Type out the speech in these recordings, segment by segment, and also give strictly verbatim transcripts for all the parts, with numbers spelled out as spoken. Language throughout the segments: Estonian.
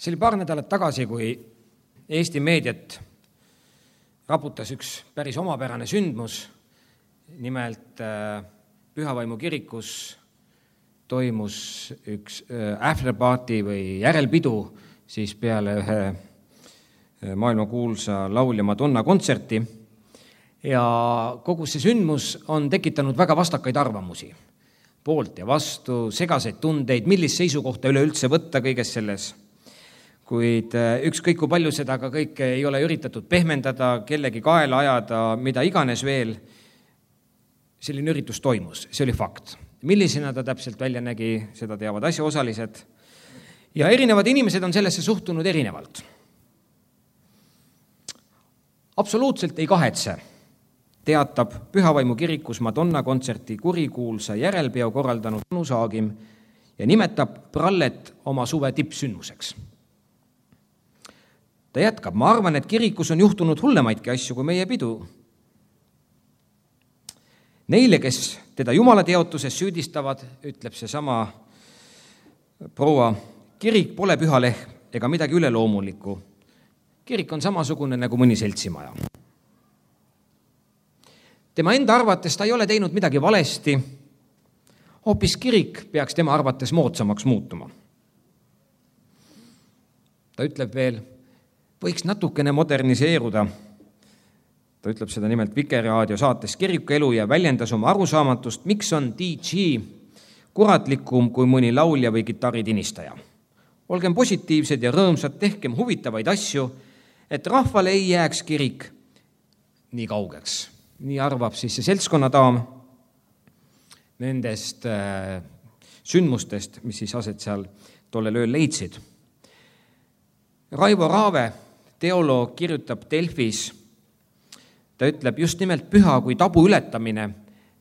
See oli paar nädalat tagasi, kui Eesti meediat raputas üks päris omapärane sündmus. Nimelt Pühavaimu kirikus toimus üks afterparty või järelpidu siis peale ühe maailmakuulsa laulja Madonna kontserti. Ja kogu see sündmus on tekitanud väga vastakaid arvamusi. Poolt ja vastu, segaseid tundeid, millist seisukohta üleüldse võtta kõiges selles. Kuid ükskõik kui palju seda ka kõike ei ole üritatud pehmendada, kellegi kaela ajada, mida iganes veel, selline üritus toimus, see oli fakt. Millisena ta täpselt välja nägi, seda teavad asjaosalised. Ja erinevad inimesed on sellesse suhtunud erinevalt. Absoluutselt ei kahetse, teatab Pühavaimu kirikus Madonna kontserti kurikuulsa järelpeo korraldanud Anu Saagim ja nimetab prallet oma suve tippsündmuseks. Ta jätkab, ma arvan, et kirikus on juhtunud hullemaidki asju kui meie pidu. Neile, kes teda jumala teotuses süüdistavad, ütleb see sama proua, kirik pole pühalehm ega midagi üleloomulikku. Kirik on samasugune nagu mõni seltsimaja. Tema enda arvates ta ei ole teinud midagi valesti, hoopis kirik peaks tema arvates moodsamaks muutuma. Ta ütleb veel, võiks natukene moderniseeruda. Ta ütleb seda nimelt Vikerraadio saates Kiriku elu ja väljendas oma arusaamatust, miks on D J kuratlikum kui mõni laulja või kitarritinistaja. Olgem positiivsed ja rõõmsad, tehkem huvitavaid asju, et rahvale ei jääks kirik nii kaugeks. Nii arvab siis see seltskonnadaam nendest äh, sündmustest, mis siis aset seal tollel ööl leidsid. Raivo Raave, teoloog, kirjutab Delfis, ta ütleb, just nimelt püha kui tabu ületamine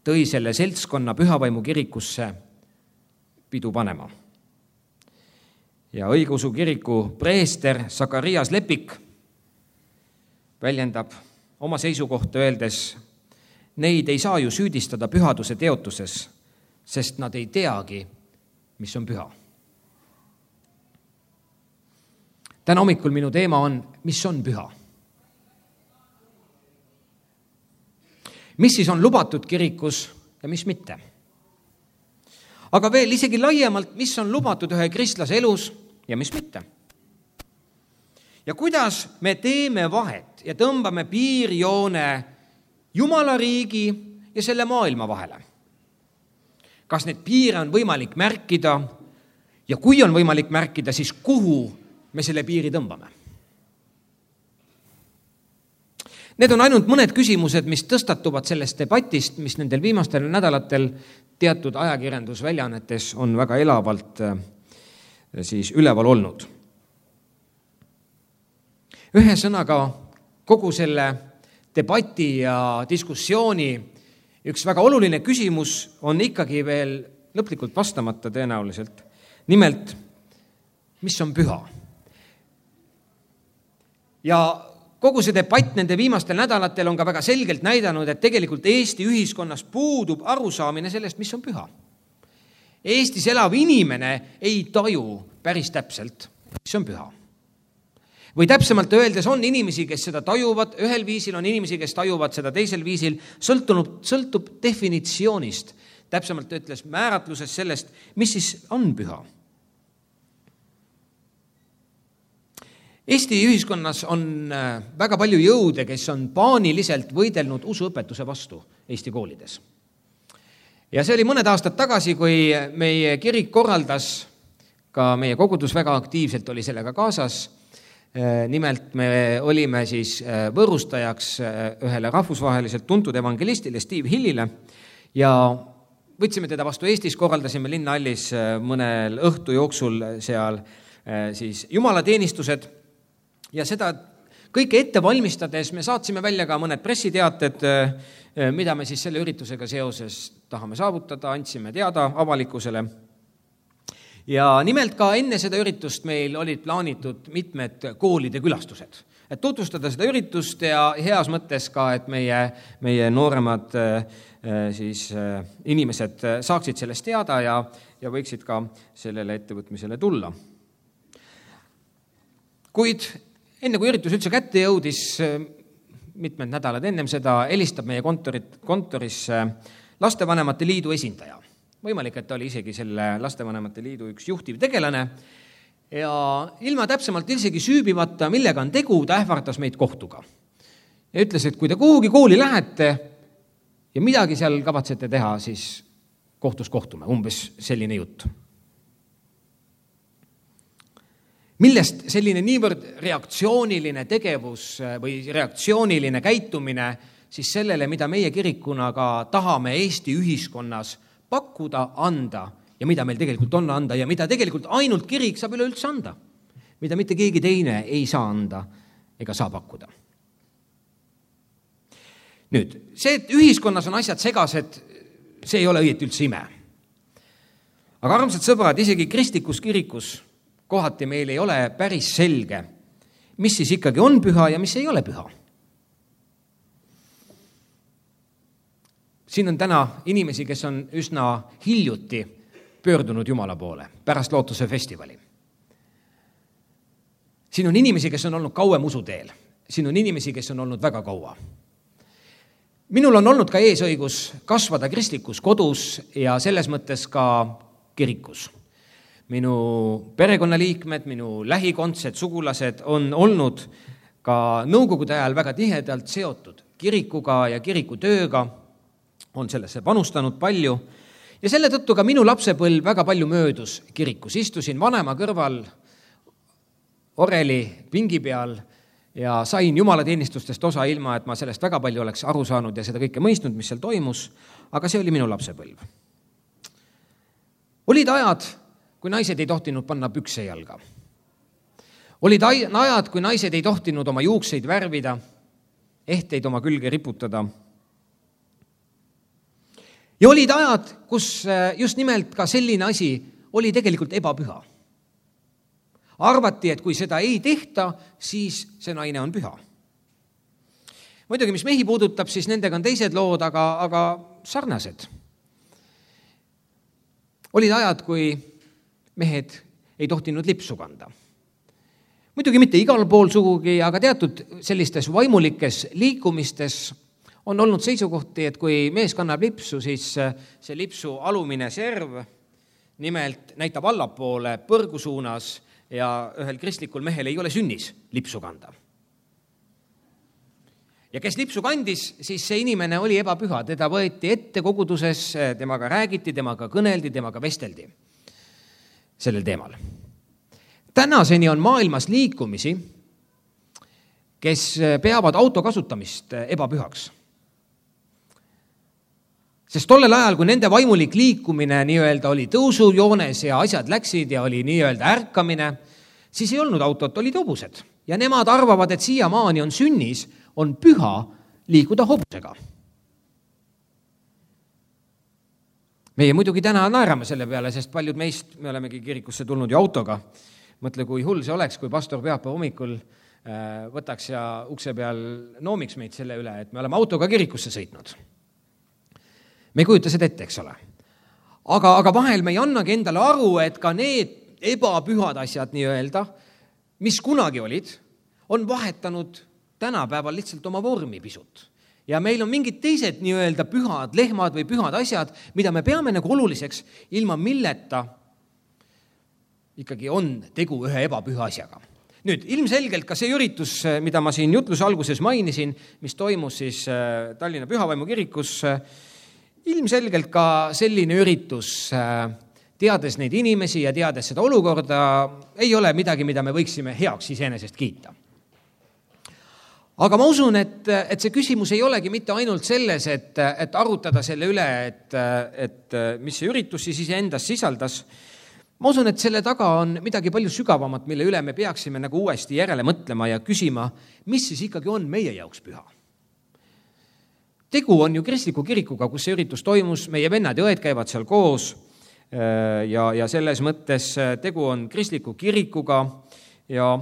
tõi selle seltskonna Pühavaimu kirikusse pidu panema. Ja õigeusu kiriku preester Sakarias Lepik väljendab oma seisukohta öeldes, neid ei saa ju süüdistada pühaduse teotuses, sest nad ei teagi, mis on püha. Täna hommikul minu teema on, mis on püha. Mis siis on lubatud kirikus ja mis mitte. Aga veel isegi laiemalt, mis on lubatud ühe kristlase elus ja mis mitte. Ja kuidas me teeme vahet ja tõmbame piirjoone Jumala riigi ja selle maailma vahele. Kas need piire on võimalik märkida ja kui on võimalik märkida, siis kuhu me selle piiri tõmbame. Need on ainult mõned küsimused, mis tõstatuvad sellest debatist, mis nendel viimastel nädalatel teatud ajakirjandusväljaannetes on väga elavalt siis üleval olnud. Ühe sõnaga kogu selle debati ja diskussiooni üks väga oluline küsimus on ikkagi veel lõplikult vastamata tõenäoliselt. Nimelt, mis on püha? Ja kogu see debatt nende viimastel nädalatel on ka väga selgelt näidanud, et tegelikult Eesti ühiskonnas puudub arusaamine sellest, mis on püha. Eestis elav inimene ei taju päris täpselt, mis on püha. Või täpsemalt öeldes on inimesi, kes seda tajuvad, ühel viisil on inimesi, kes tajuvad seda teisel viisil, sõltub, sõltub definitsioonist, täpsemalt ütles määratluses sellest, mis siis on püha. Eesti ühiskonnas on väga palju jõude, kes on paaniliselt võidelnud usuõpetuse vastu Eesti koolides. Ja see oli mõned aastad tagasi, kui meie kirik korraldas, ka meie kogudus väga aktiivselt oli sellega kaasas. Nimelt me olime siis võõrustajaks ühele rahvusvaheliselt tuntud evangelistile Steve Hillile ja võtsime teda vastu Eestis, korraldasime linnahallis mõnel õhtu jooksul seal siis jumalateenistused. Ja seda kõike ette valmistades me saatsime välja ka mõned pressiteated, mida me siis selle üritusega seoses tahame saavutada, andsime teada avalikkusele. Ja nimelt ka enne seda üritust meil olid plaanitud mitmed koolide külastused. Et tutvustada seda üritust ja heas mõttes ka, et meie, meie nooremad siis, inimesed saaksid sellest teada ja, ja võiksid ka sellele ettevõtmisele tulla. Kuid enne kui üritus üldse kätte jõudis, mitmed nädalad ennem seda, helistab meie kontorit, kontorisse Lastevanemate Liidu esindaja. Võimalik, et ta oli isegi selle Lastevanemate Liidu üks juhtiv tegelane ja ilma täpsemalt isegi süübivata, millega on tegu, ta ähvardas meid kohtuga. Ja ütles, et kui te kuhugi kooli lähete ja midagi seal kavatsete teha, siis kohtus kohtume, umbes selline jutt. Millest selline niivõrd reaktsiooniline tegevus või reaktsiooniline käitumine siis sellele, mida meie kirikuna ka tahame Eesti ühiskonnas pakkuda, anda ja mida meil tegelikult on anda ja mida tegelikult ainult kirik saab üleüldse anda, mida mitte keegi teine ei saa anda ega saa pakkuda. Nüüd, see, et ühiskonnas on asjad segased, see ei ole õieti üldse ime. Aga armsad sõbrad, isegi kristlikus kirikus kohati meil ei ole päris selge, mis siis ikkagi on püha ja mis ei ole püha. Siin on täna inimesi, kes on üsna hiljuti pöördunud Jumala poole pärast lootuse festivali. Siin on inimesi, kes on olnud kauem usuteel. Siin on inimesi, kes on olnud väga kaua. Minul on olnud ka eesõigus kasvada kristlikus kodus ja selles mõttes ka kirikus. Minu perekonnaliikmed, minu lähikondsed, sugulased on olnud ka nõukogude ajal väga tihedalt seotud kirikuga ja kiriku tööga, on sellesse panustanud palju ja selle tõttu ka minu lapsepõlv väga palju möödus kirikus. Istusin vanema kõrval oreli pingi peal ja sain jumalateenistustest osa ilma, et ma sellest väga palju oleks aru saanud ja seda kõike mõistnud, mis seal toimus, aga see oli minu lapsepõlv. Olid ajad, kui naised ei tohtinud panna pükse jalga. Olid ajad, kui naised ei tohtinud oma juukseid värvida, ehteid oma külge riputada. Ja olid ajad, kus just nimelt ka selline asi oli tegelikult ebapüha. Arvati, et kui seda ei tehta, siis see naine on püha. Muidugi, mis mehi puudutab, siis nendega on teised lood, aga, aga sarnased. Olid ajad, kui mehed ei tohtinud lipsu kanda. Muidugi mitte igal pool sugugi, aga teatud sellistes vaimulikes liikumistes on olnud seisukohti, et kui mees kannab lipsu, siis see lipsu alumine serv nimelt näitab allapoole põrgu suunas ja ühel kristlikul mehel ei ole sünnis lipsu kanda. Ja kes lipsu kandis, siis see inimene oli ebapüha, teda võeti ette koguduses, temaga räägiti, temaga kõneldi, temaga vesteldi sellel teemal. Tänaseni on maailmas liikumisi, kes peavad auto kasutamist ebapühaks. Sest tollel ajal, kui nende vaimulik liikumine nii-öelda oli tõusujoones ja asjad läksid ja oli nii-öelda ärkamine, siis ei olnud autot, olid hobused. Ja nemad arvavad, et siiamaani on sünnis, on püha liikuda hobusega. Meie muidugi täna naerame selle peale, sest paljud meist, me olemegi kirikusse tulnud ju autoga. Mõtle, kui hull see oleks, kui pastor pühapäeva hommikul võtaks ja ukse peal noomiks meid selle üle, et me oleme autoga kirikusse sõitnud. Me ei kujuta seda ette, eks ole. Aga, aga vahel me ei annagi endale aru, et ka need ebapühad asjad nii-öelda, mis kunagi olid, on vahetanud tänapäeval lihtsalt oma vormi pisut. Ja meil on mingid teised nii-öelda pühad lehmad või pühad asjad, mida me peame nagu oluliseks, ilma milleta ikkagi on tegu ühe ebapüha asjaga. Nüüd, ilmselgelt ka see üritus, mida ma siin jutluse alguses mainisin, mis toimus siis Tallinna Pühavaimu kirikus, ilmselgelt ka selline üritus, teades neid inimesi ja teades seda olukorda, ei ole midagi, mida me võiksime heaks iseenesest kiita. Aga ma usun, et, et see küsimus ei olegi mitte ainult selles, et, et arutada selle üle, et, et mis see üritus siis endas sisaldas. Ma usun, et selle taga on midagi palju sügavamat, mille üle me peaksime nagu uuesti järele mõtlema ja küsima, mis siis ikkagi on meie jaoks püha. Tegu on ju kristliku kirikuga, kus see üritus toimus, meie vennad ja õed käivad seal koos ja, ja selles mõttes tegu on kristliku kirikuga ja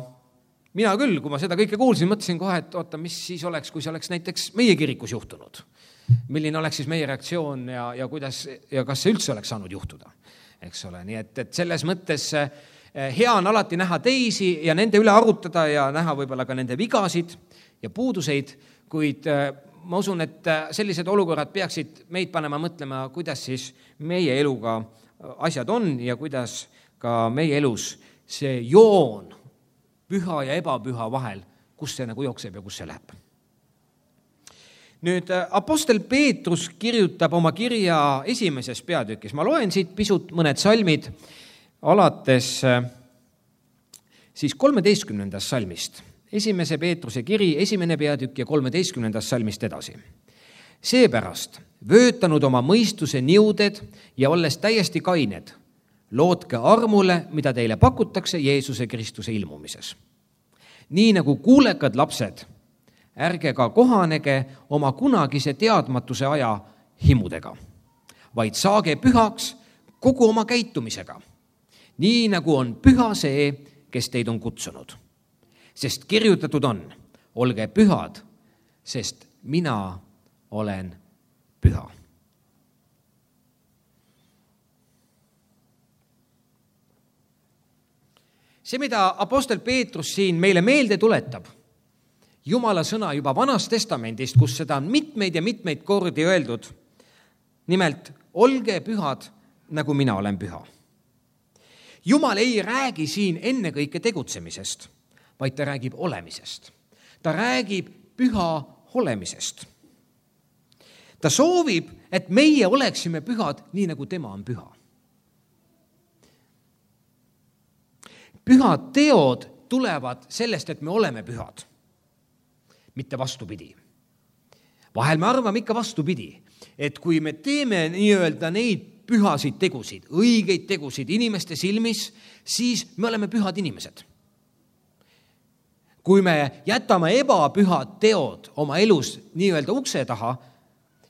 mina küll, kui ma seda kõike kuulsin, mõtlesin kohe, et oota, mis siis oleks, kui see oleks näiteks meie kirikus juhtunud. Milline oleks siis meie reaktsioon ja, ja, kuidas, ja kas see üldse oleks saanud juhtuda, eks ole. Nii et, et selles mõttes hea on alati näha teisi ja nende üle arutada ja näha võib-olla ka nende vigasid ja puuduseid, kuid ma usun, et sellised olukorrad peaksid meid panema mõtlema, kuidas siis meie eluga asjad on ja kuidas ka meie elus see joon püha ja ebapüha vahel, kus see nagu jookseb ja kus see läheb. Nüüd apostel Peetrus kirjutab oma kirja esimeses peatükis. Ma loen siit pisut mõned salmid alates siis kolmeteistkümnendast salmist. Esimese Peetruse kiri, esimene peatükk ja kolmeteistkümnendast salmist edasi. Seepärast vöötanud oma mõistuse niuded ja olles täiesti kained, lootke armule, mida teile pakutakse Jeesuse Kristuse ilmumises. Nii nagu kuulekad lapsed, ärge ka kohanege oma kunagise teadmatuse aja himudega, vaid saage pühaks kogu oma käitumisega, nii nagu on püha see, kes teid on kutsunud. Sest kirjutatud on, olge pühad, sest mina olen püha. See, mida apostel Peetrus siin meile meelde tuletab, Jumala sõna juba Vanast Testamendist, kus seda on mitmeid ja mitmeid kordi öeldud, nimelt, olge pühad, nagu mina olen püha. Jumal ei räägi siin ennekõike tegutsemisest, vaid ta räägib olemisest. Ta räägib püha olemisest. Ta soovib, et meie oleksime pühad, nii nagu tema on püha. Pühad teod tulevad sellest, et me oleme pühad, mitte vastupidi. Vahel me arvame ikka vastupidi, et kui me teeme nii-öelda neid pühasid tegusid, õigeid tegusid inimeste silmis, siis me oleme pühad inimesed. Kui me jätame ebapühad teod oma elus nii-öelda ukse taha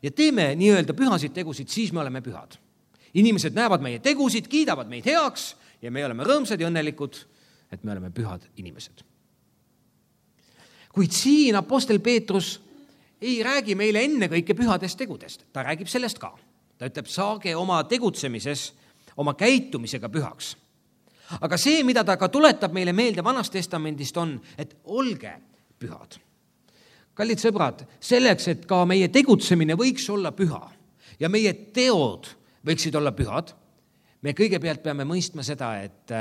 ja teeme nii-öelda pühasid tegusid, siis me oleme pühad. Inimesed näevad meie tegusid, kiidavad meid heaks ja me oleme rõõmsad ja õnnelikud, et me oleme pühad inimesed. Kuid siin apostel Peetrus ei räägi meile ennekõike pühadest tegudest. Ta räägib sellest ka. Ta ütleb, saage oma tegutsemises, oma käitumisega pühaks. Aga see, mida ta ka tuletab meile meelde Vanast Testamendist on, et olge pühad. Kallid sõbrad, selleks, et ka meie tegutsemine võiks olla püha ja meie teod võiksid olla pühad, me kõigepealt peame mõistma seda, et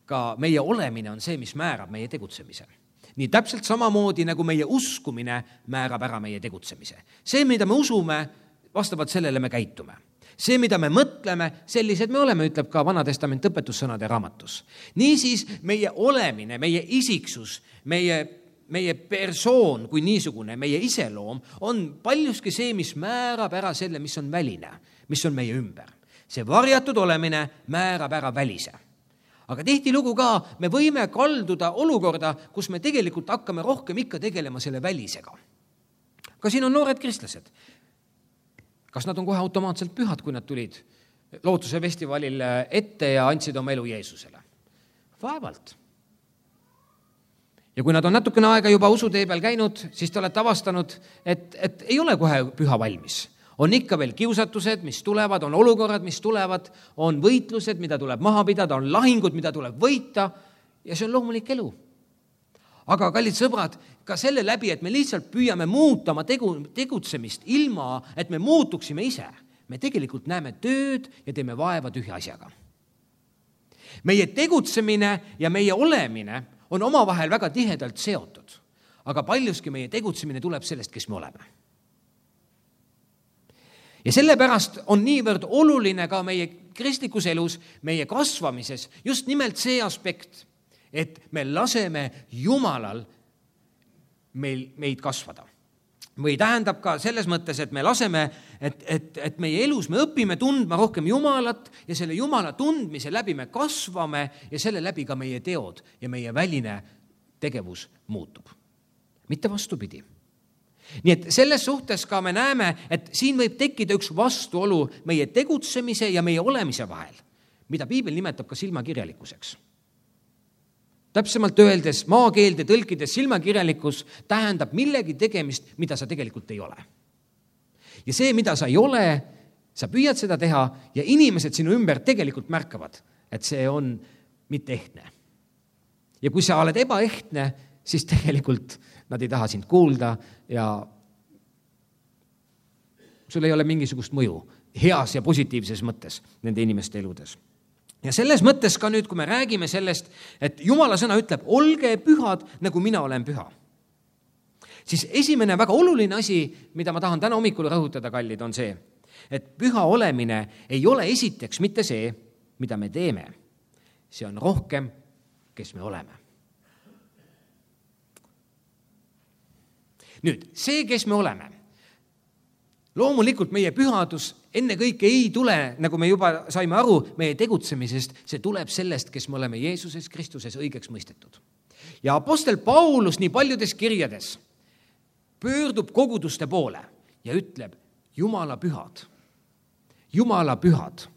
ka meie olemine on see, mis määrab meie tegutsemise. Nii täpselt samamoodi, nagu meie uskumine määrab ära meie tegutsemise. See, mida me usume, vastavalt sellele me käitume. See, mida me mõtleme, sellised me oleme, ütleb ka Vana Testament õpetussõnade raamatus. Niisiis meie olemine, meie isiksus, meie, meie persoon kui niisugune, meie iseloom on paljuski see, mis määrab ära selle, mis on väline, mis on meie ümber. See varjatud olemine määrab ära välise. Aga tihtilugu ka me võime kalduda olukorda, kus me tegelikult hakkame rohkem ikka tegelema selle välisega. Ka siin on noored kristlased. Kas nad on kohe automaatselt pühad, kui nad tulid Lootuse festivalil ette ja andsid oma elu Jeesusele? Vaevalt. Ja kui nad on natukene aega juba usutee peal käinud, siis te olete avastanud, et, et ei ole kohe püha valmis. On ikka veel kiusatused, mis tulevad, on olukorrad, mis tulevad, on võitlused, mida tuleb maha pidada, on lahingud, mida tuleb võita ja see on loomulik elu. Aga kallid sõbrad, ka selle läbi, et me lihtsalt püüame muuta oma tegu, tegutsemist ilma, et me muutuksime ise. Me tegelikult näeme tööd ja teeme vaeva tühja asjaga. Meie tegutsemine ja meie olemine on omavahel väga tihedalt seotud, aga paljuski meie tegutsemine tuleb sellest, kes me oleme. Ja sellepärast on niivõrd oluline ka meie kristlikus elus, meie kasvamises just nimelt see aspekt, et me laseme Jumalal meil, meid kasvada. Või tähendab ka selles mõttes, et me laseme, et, et, et meie elus me õpime tundma rohkem Jumalat ja selle Jumala tundmise läbi me kasvame ja selle läbi ka meie teod ja meie väline tegevus muutub. Mitte vastupidi. Nii et selles suhtes ka me näeme, et siin võib tekkida üks vastuolu meie tegutsemise ja meie olemise vahel, mida piibel nimetab ka silmakirjalikkuseks. Täpsemalt öeldes, maakeelde tõlkides silmakirjalikkus tähendab millegi tegemist, mida sa tegelikult ei ole. Ja see, mida sa ei ole, sa püüad seda teha ja inimesed sinu ümber tegelikult märkavad, et see on mitte ehtne. ja kui sa oled ebaehtne, siis tegelikult nad ei taha sind kuulda ja sul ei ole mingisugust mõju heas ja positiivses mõttes nende inimeste eludes. Ja selles mõttes ka nüüd, kui me räägime sellest, et Jumala sõna ütleb, olge pühad, nagu mina olen püha. Siis esimene väga oluline asi, mida ma tahan täna hommikul rõhutada, kallid, on see, et püha olemine ei ole esiteks mitte see, mida me teeme. See on rohkem, kes me oleme. Nüüd, see, kes me oleme, loomulikult meie pühadus enne kõike ei tule, nagu me juba saime aru, meie tegutsemisest, see tuleb sellest, kes me oleme Jeesuses Kristuses õigeks mõistetud. Ja apostel Paulus nii paljudes kirjades pöördub koguduste poole ja ütleb, Jumala pühad, Jumala pühad,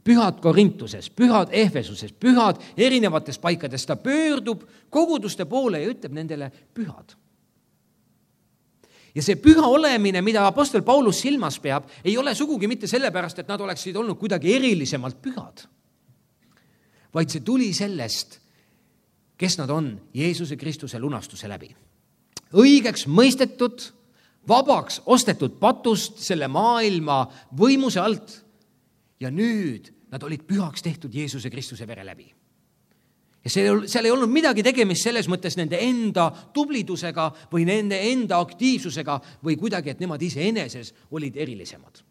pühad Korintuses, pühad Efesuses, pühad erinevates paikades, ta pöördub koguduste poole ja ütleb nendele pühad. Ja see püha olemine, mida apostel Paulus silmas peab, ei ole sugugi mitte sellepärast, et nad oleksid olnud kuidagi erilisemalt pühad, vaid see tuli sellest, kes nad on Jeesuse Kristuse lunastuse läbi. Õigeks mõistetud, vabaks ostetud patust selle maailma võimuse alt ja nüüd nad olid pühaks tehtud Jeesuse Kristuse vere läbi. Ja seal ei olnud midagi tegemist selles mõttes nende enda tublidusega või nende enda aktiivsusega või kuidagi, et nemad ise eneses olid erilisemad.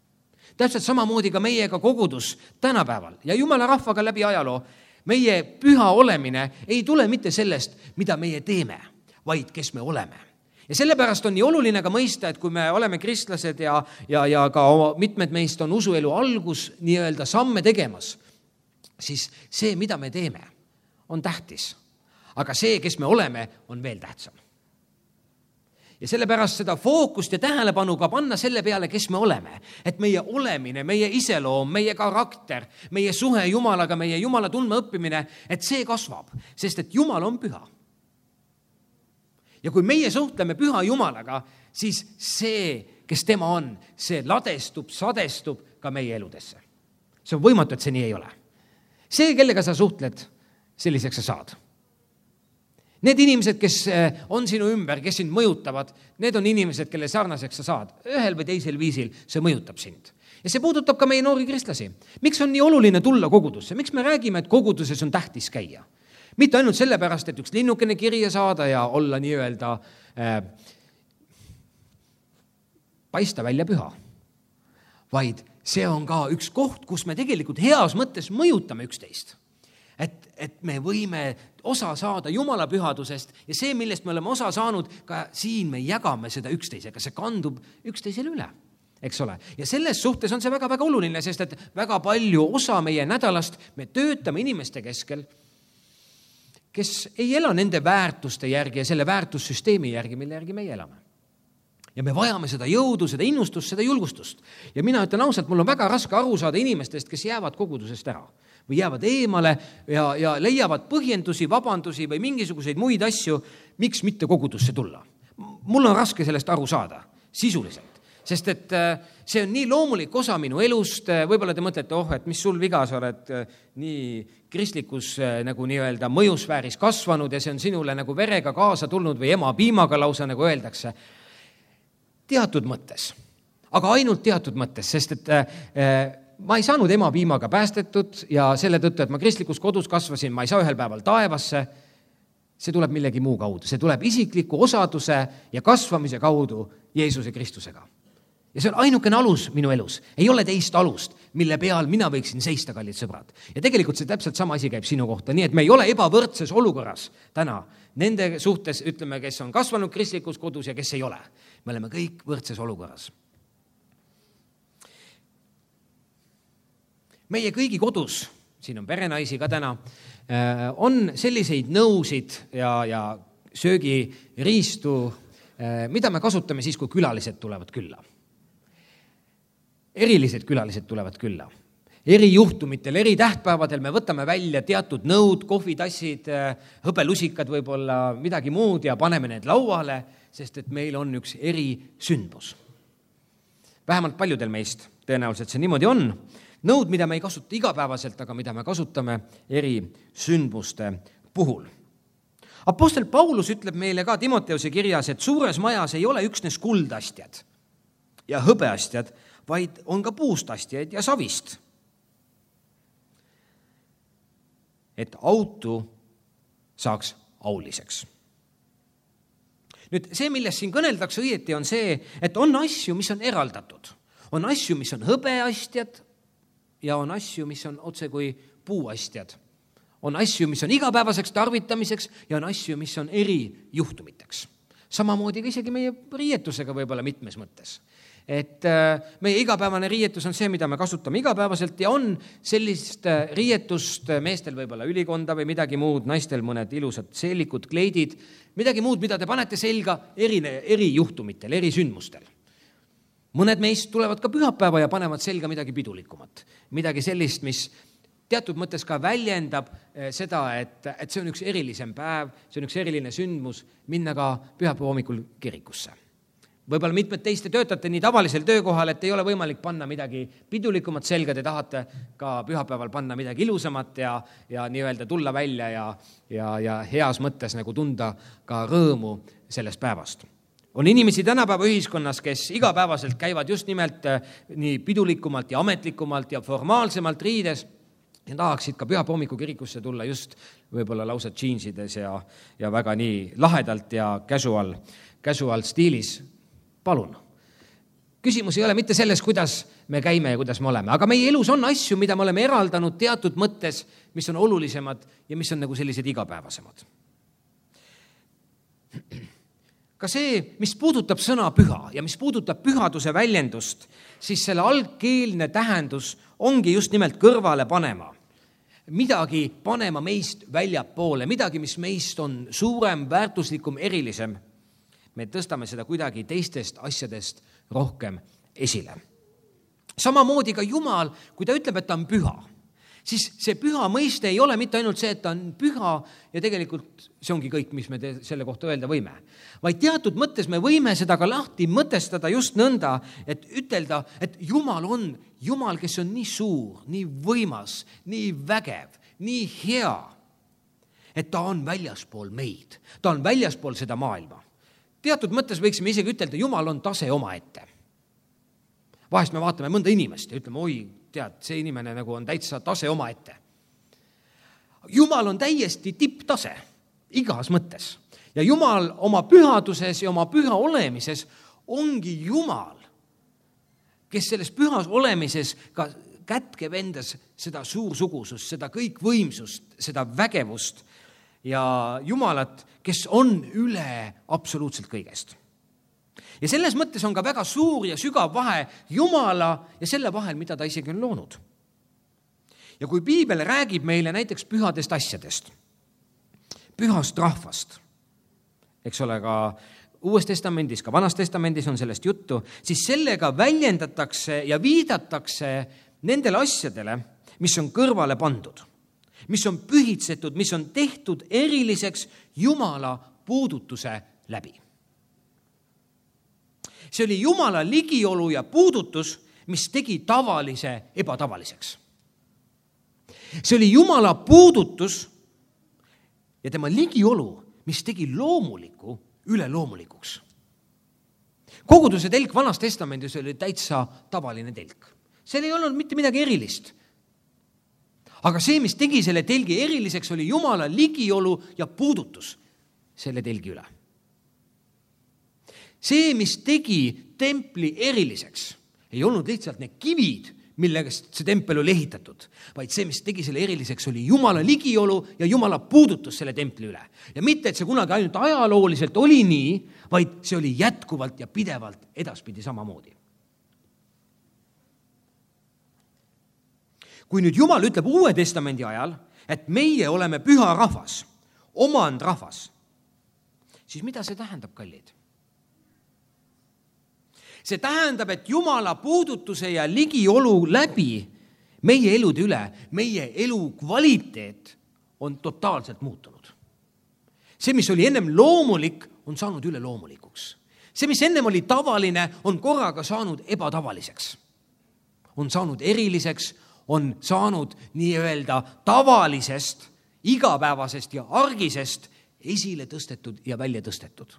Täpselt samamoodi ka meiega kogudus tänapäeval ja Jumala rahvaga läbi ajaloo. Meie püha olemine ei tule mitte sellest, mida meie teeme, vaid kes me oleme. Ja sellepärast on nii oluline ka mõista, et kui me oleme kristlased ja, ja, ja ka mitmed meist on usuelu algus nii-öelda samme tegemas, siis see, mida me teeme, on tähtis. Aga see, kes me oleme, on veel tähtsam. Ja sellepärast seda fookust ja tähelepanu ka panna selle peale, kes me oleme. Et meie olemine, meie iseloom, meie karakter, meie suhe Jumalaga, meie Jumala tundma õppimine, et see kasvab, sest et Jumal on püha. Ja kui meie suhtleme püha Jumalaga, siis see, kes tema on, see ladestub, sadestub ka meie eludesse. See on võimatu, et see nii ei ole. See, kellega sa suhtled, selliseks sa saad. Need inimesed, kes on sinu ümber, kes sind mõjutavad, need on inimesed, kelle sarnaseks sa saad. Ühel või teisel viisil see mõjutab sind. Ja see puudutab ka meie noori kristlasi. Miks on nii oluline tulla kogudusse? Miks me räägime, et koguduses on tähtis käia? Mitte ainult sellepärast, et üks linnukene kirja saada ja olla nii-öelda äh, paista välja püha. Vaid see on ka üks koht, kus me tegelikult heas mõttes mõjutame üksteist. Et, et me võime osa saada Jumala pühadusest ja see, millest me oleme osa saanud, ka siin me jagame seda üksteisega, see kandub üksteisele üle, eks ole. Ja selles suhtes on see väga-väga oluline, sest et väga palju osa meie nädalast me töötame inimeste keskel, kes ei ela nende väärtuste järgi ja selle väärtussüsteemi järgi, mille järgi meie elame. Ja me vajame seda jõudu, seda innustust, seda julgustust. Ja mina ütlen ausalt, mul on väga raske aru saada inimestest, kes jäävad kogudusest ära või jäävad eemale ja, ja leiavad põhjendusi, vabandusi või mingisuguseid muid asju, miks mitte kogudusse tulla. Mul on raske sellest aru saada, sisuliselt. Sest et see on nii loomulik osa minu elust, võib-olla te mõtlete, oh, et mis sul viga, sa oled nii kristlikus nagu nii-öelda mõjusfääris kasvanud ja see on sinule nagu verega kaasa tulnud või ema piimaga lausa, nagu öeldakse. Teatud mõttes, aga ainult teatud mõttes, sest et äh, ma ei saanud ema piimaga päästetud ja selle tõttu, et ma kristlikus kodus kasvasin, ma ei saa ühel päeval taevasse, see tuleb millegi muu kaudu, see tuleb isikliku osaduse ja kasvamise kaudu Jeesuse Kristusega. Ja see on ainukene alus minu elus, ei ole teist alust, mille peal mina võiksin seista, kallid sõbrad. Ja tegelikult see täpselt sama asi käib sinu kohta, nii et me ei ole ebavõrdses olukorras täna nende suhtes, ütleme, kes on kasvanud kristlikus kodus ja kes ei ole. Me oleme kõik võrdses olukorras. Meie kõigi kodus, siin on perenaisi ka täna, on selliseid nõusid ja, ja söögiriistu, mida me kasutame siis, kui külalised tulevad külla. Erilised külalised tulevad külla. Eri juhtumitel, eri tähtpäevadel me võtame välja teatud nõud, kohvitassid, hõbelusikad võib-olla, midagi muud ja paneme need lauale, sest et meil on üks eri sündmus. Vähemalt paljudel meist tõenäoliselt see niimoodi on, nõud, mida me ei kasuta igapäevaselt, aga mida me kasutame eri sündmuste puhul. Apostel Paulus ütleb meile ka Timoteuse kirjas, et suures majas ei ole üksnes kuldastjad ja hõbeastjad, vaid on ka puust astjaid ja savist. Et autu saaks auliseks. Nüüd see, millest siin kõneldakse õieti, on see, et on asju, mis on eraldatud. On asju, mis on hõbeastjad ja on asju, mis on otse kui puuastjad. On asju, mis on igapäevaseks tarvitamiseks ja on asju, mis on erijuhtumiteks. Samamoodi ka isegi meie riietusega võib-olla mitmes mõttes. Et meie igapäevane riietus on see, mida me kasutame igapäevaselt ja on sellist riietust meestel võib-olla ülikonda või midagi muud, naistel mõned ilusad seelikud, kleidid, midagi muud, mida te panete selga eri, eri juhtumitel, eri sündmustel. Mõned meist tulevad ka pühapäeva ja panevad selga midagi pidulikumat, midagi sellist, mis teatud mõttes ka väljendab seda, et, et see on üks erilisem päev, see on üks eriline sündmus, minna ka pühapäeva hommikul kirikusse. Võib-olla mitmed teiste töötate nii tavalisel töökohal, et ei ole võimalik panna midagi pidulikumat selga, te tahate ka pühapäeval panna midagi ilusamat ja, ja nii-öelda tulla välja ja, ja, ja heas mõttes nagu tunda ka rõõmu sellest päevast. On inimesi tänapäeva ühiskonnas, kes igapäevaselt käivad just nimelt nii pidulikumalt ja ametlikumalt ja formaalsemalt riides ja tahaksid ka pühapäeva hommiku kirikusse tulla just võib-olla lausa džiinsides ja, ja väga nii lahedalt ja casual, casual stiilis. Palun. Küsimus ei ole mitte selles, kuidas me käime ja kuidas me oleme, aga meie elus on asju, mida me oleme eraldanud teatud mõttes, mis on olulisemad ja mis on nagu sellised igapäevasemad. Ka see, mis puudutab sõna püha ja mis puudutab pühaduse väljendust, siis selle algkeelne tähendus ongi just nimelt kõrvale panema. Midagi panema meist väljapoole, midagi, mis meist on suurem, väärtuslikum, erilisem. Me tõstame seda kuidagi teistest asjadest rohkem esile. Samamoodi ka Jumal, kui ta ütleb, et ta on püha, siis see püha mõiste ei ole mitte ainult see, et ta on püha ja tegelikult see ongi kõik, mis me te- selle kohta öelda võime. Vaid teatud mõttes me võime seda ka lahti mõtestada just nõnda, et ütelda, et Jumal on Jumal, kes on nii suur, nii võimas, nii vägev, nii hea, et ta on väljaspool meid, ta on väljaspool seda maailma. Teatud mõttes võiksime isegi ütelda, Jumal on tase omaette. Vahest me vaatame mõnda inimest ja ütleme, oi, tead, see inimene nagu on täitsa tase omaette. Jumal on täiesti tipptase, igas mõttes. Ja Jumal oma pühaduses ja oma püha olemises ongi Jumal, kes selles pühas olemises ka kätkeb endas seda suursugusust, seda kõikvõimsust, seda vägevust ja Jumalat, kes on üle absoluutselt kõigest. Ja selles mõttes on ka väga suur ja sügav vahe Jumala ja selle vahel, mida ta isegi on loonud. Ja kui Piibel räägib meile näiteks pühadest asjadest, pühast rahvast, eks ole, ka Uues testamendis, ka Vanas testamendis on sellest juttu, siis sellega väljendatakse ja viidatakse nendele asjadele, mis on kõrvale pandud, mis on pühitsetud, mis on tehtud eriliseks Jumala puudutuse läbi. See oli Jumala ligiolu ja puudutus, mis tegi tavalise ebatavaliseks. See oli Jumala puudutus ja tema ligiolu, mis tegi loomuliku üleloomulikuks. Koguduse telk Vanas testamendis oli täitsa tavaline telk. Seal ei olnud mitte midagi erilist. Aga see, mis tegi selle telgi eriliseks, oli Jumala ligiolu ja puudutus selle telgi üle. See, mis tegi templi eriliseks, ei olnud lihtsalt need kivid, millega see tempel oli ehitatud, vaid see, mis tegi selle eriliseks, oli Jumala ligiolu ja Jumala puudutus selle templi üle. Ja mitte, et see kunagi ainult ajalooliselt oli nii, vaid see oli jätkuvalt ja pidevalt edaspidi samamoodi. Kui nüüd Jumal ütleb Uue testamendi ajal, et meie oleme püha rahvas, omand rahvas, siis mida see tähendab, kallid? See tähendab, et Jumala puudutuse ja ligiolu läbi meie elude üle, meie elu kvaliteet on totaalselt muutunud. See, mis oli ennem loomulik, on saanud üle loomulikuks. See, mis ennem oli tavaline, on korraga saanud ebatavaliseks. On saanud eriliseks, on saanud nii-öelda tavalisest, igapäevasest ja argisest esile tõstetud ja välja tõstetud.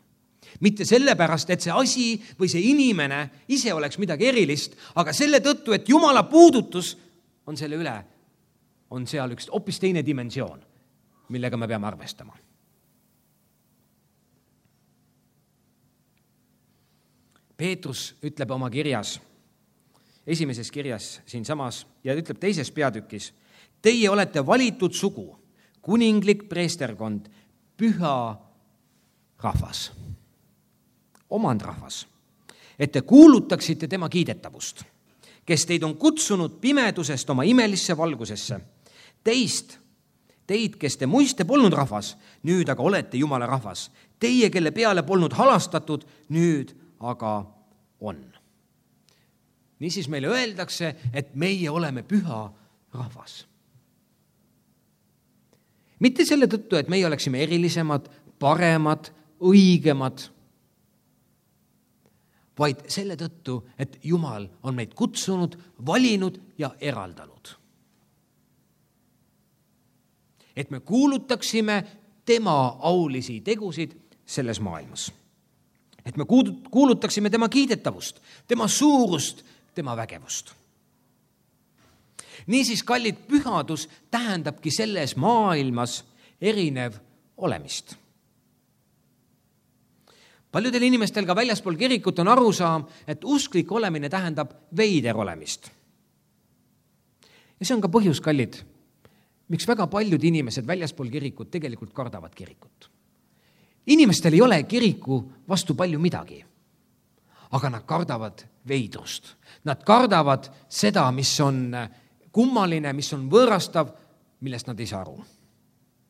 Mitte sellepärast, et see asi või see inimene ise oleks midagi erilist, aga selle tõttu, et Jumala puudutus on selle üle, on seal üks hoopis teine dimensioon, millega me peame arvestama. Peetrus ütleb oma kirjas, esimeses kirjas siinsamas ja ütleb teises peatükis, teie olete valitud sugu, kuninglik preesterkond, püha rahvas, omandrahvas, et te kuulutaksite tema kiidetavust, kes teid on kutsunud pimedusest oma imelisse valgusesse. Teist, teid, kes te muiste polnud rahvas, nüüd aga olete Jumala rahvas. Teie, kelle peale polnud halastatud, nüüd aga on. Niisiis meile öeldakse, et meie oleme püha rahvas. Mitte selle tõttu, et meie oleksime erilisemad, paremad, õigemad, vaid selle tõttu, et Jumal on meid kutsunud, valinud ja eraldanud. Et me kuulutaksime tema aulisi tegusid selles maailmas. Et me kuulutaksime tema kiidetavust, tema suurust, tema vägevust. Niisiis, kallid, pühadus tähendabki selles maailmas erinev olemist. Paljudel inimestel ka väljaspool kirikut on arusaam, et usklik olemine tähendab veider olemist. Ja see on ka põhjus, kallid, miks väga paljud inimesed väljaspool kirikut tegelikult kardavad kirikut. Inimestel ei ole kiriku vastu palju midagi, aga nad kardavad veidrust. Nad kardavad seda, mis on kummaline, mis on võõrastav, millest nad ei saa aru.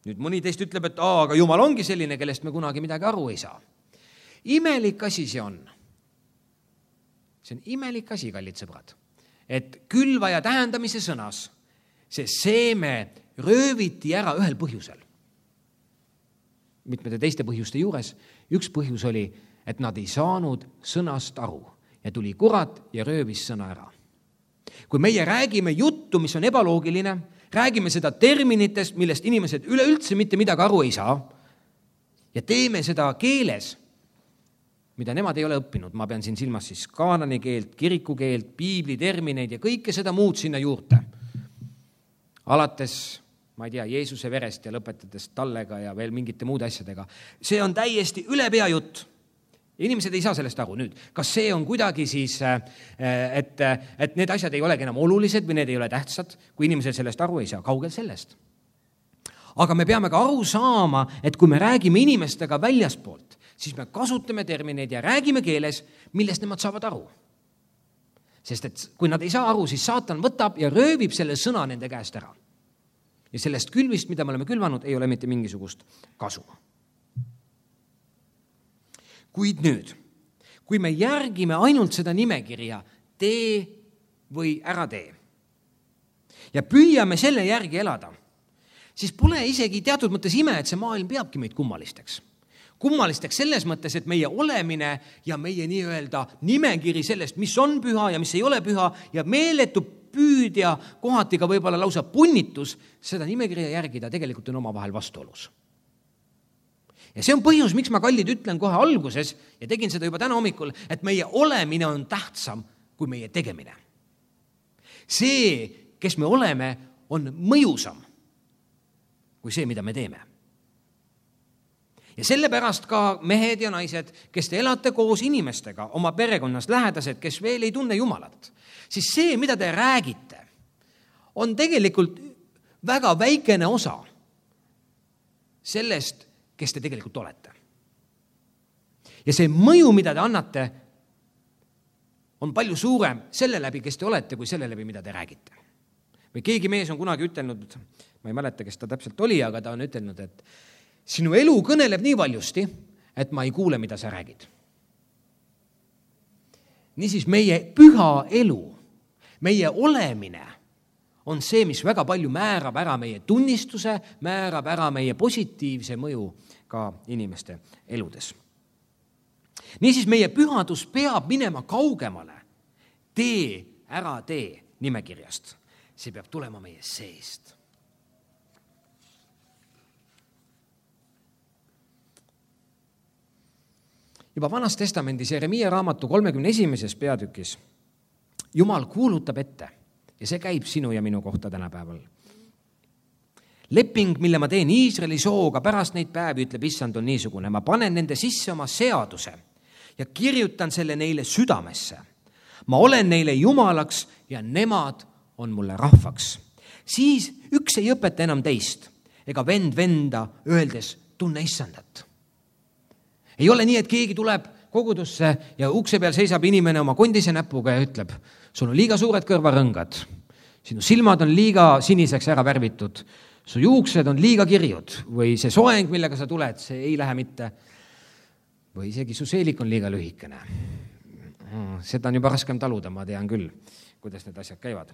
Nüüd mõni teist ütleb, et aa, aga Jumal ongi selline, kellest me kunagi midagi aru ei saa. Imelik asi see on. See on imelik asi, kallid sõbrad, et külvaja tähendamise sõnas see seeme rööviti ära ühel põhjusel. Mitmete teiste põhjuste juures. Üks põhjus oli, et nad ei saanud sõnast aru ja tuli kurat ja röövis sõna ära. Kui meie räägime juttu, mis on ebaloogiline, räägime seda terminitest, millest inimesed üleüldse mitte midagi aru ei saa ja teeme seda keeles, mida nemad ei ole õppinud. Ma pean siin silmas siis kaanani keelt, kiriku keelt, piibli termineid ja kõike seda muud sinna juurde. Alates, ma ei tea, Jeesuse verest ja lõpetades tallega ja veel mingite muude asjadega. See on täiesti üle pea jutt. Inimesed ei saa sellest aru. Nüüd, kas see on kuidagi siis, et, et need asjad ei olegi enam olulised või need ei ole tähtsad, kui inimesed sellest aru ei saa? Kaugel sellest. Aga me peame ka aru saama, et kui me räägime inimestega väljaspoolt, siis me kasutame termineid ja räägime keeles, millest nemad saavad aru. Sest et kui nad ei saa aru, siis saatan võtab ja röövib selle sõna nende käest ära. Ja sellest külvist, mida me oleme külvanud, ei ole mitte mingisugust kasu. Kuid nüüd, kui me järgime ainult seda nimekirja, tee või ära tee, ja püüame selle järgi elada, siis pole isegi teatud mõttes ime, et see maailm peabki meid kummalisteks. Kummalisteks selles mõttes, et meie olemine ja meie nii-öelda nimekiri sellest, mis on püha ja mis ei ole püha ja meeletu püüd ja kohati ka võib-olla lausa punnitus, seda nimekirja järgida tegelikult on omavahel vastuolus. Ja see on põhjus, miks ma, kallid, ütlen kohe alguses ja tegin seda juba täna hommikul, et meie olemine on tähtsam kui meie tegemine. See, kes me oleme, on mõjusam kui see, mida me teeme. Ja sellepärast ka mehed ja naised, kes te elate koos inimestega, oma perekonnas lähedased, kes veel ei tunne Jumalat, siis see, mida te räägite, on tegelikult väga väikene osa sellest, kes te tegelikult olete. Ja see mõju, mida te annate, on palju suurem selle läbi, kes te olete, kui selle läbi, mida te räägite. Või keegi mees on kunagi ütelnud, ma ei mäleta, kes ta täpselt oli, aga ta on ütelnud, et sinu elu kõneleb nii valjusti, et ma ei kuule, mida sa räägid. Niisiis meie püha elu, meie olemine on see, mis väga palju määrab ära meie tunnistuse, määrab ära meie positiivse mõju ka inimeste eludes. Niisiis meie pühadus peab minema kaugemale tee, ära tee nimekirjast. see peab tulema meie seest. Juba Vanas Testamendis Jeremiia raamatu kolmekümne esimeses peatükis Jumal kuulutab ette ja see käib sinu ja minu kohta tänapäeval. Leping, mille ma teen Iisraeli sooga pärast neid päevi, ütleb issand, on niisugune. Ma panen nende sisse oma seaduse ja kirjutan selle neile südamesse. Ma olen neile jumalaks ja nemad on mulle rahvaks. Siis üks ei õpeta enam teist ega vend venda öeldes tunne issandat. Ei ole nii, et keegi tuleb kogudusse ja ukse peal seisab inimene oma kondise näpuga ja ütleb, sul on liiga suured kõrvarõngad, sinu silmad on liiga siniseks ära värvitud, su juuksed on liiga kirjud või see soeng, millega sa tuled, see ei lähe mitte. Või isegi su seelik on liiga lühikene. Seda on juba raskem taluda, ma tean küll, kuidas need asjad käivad.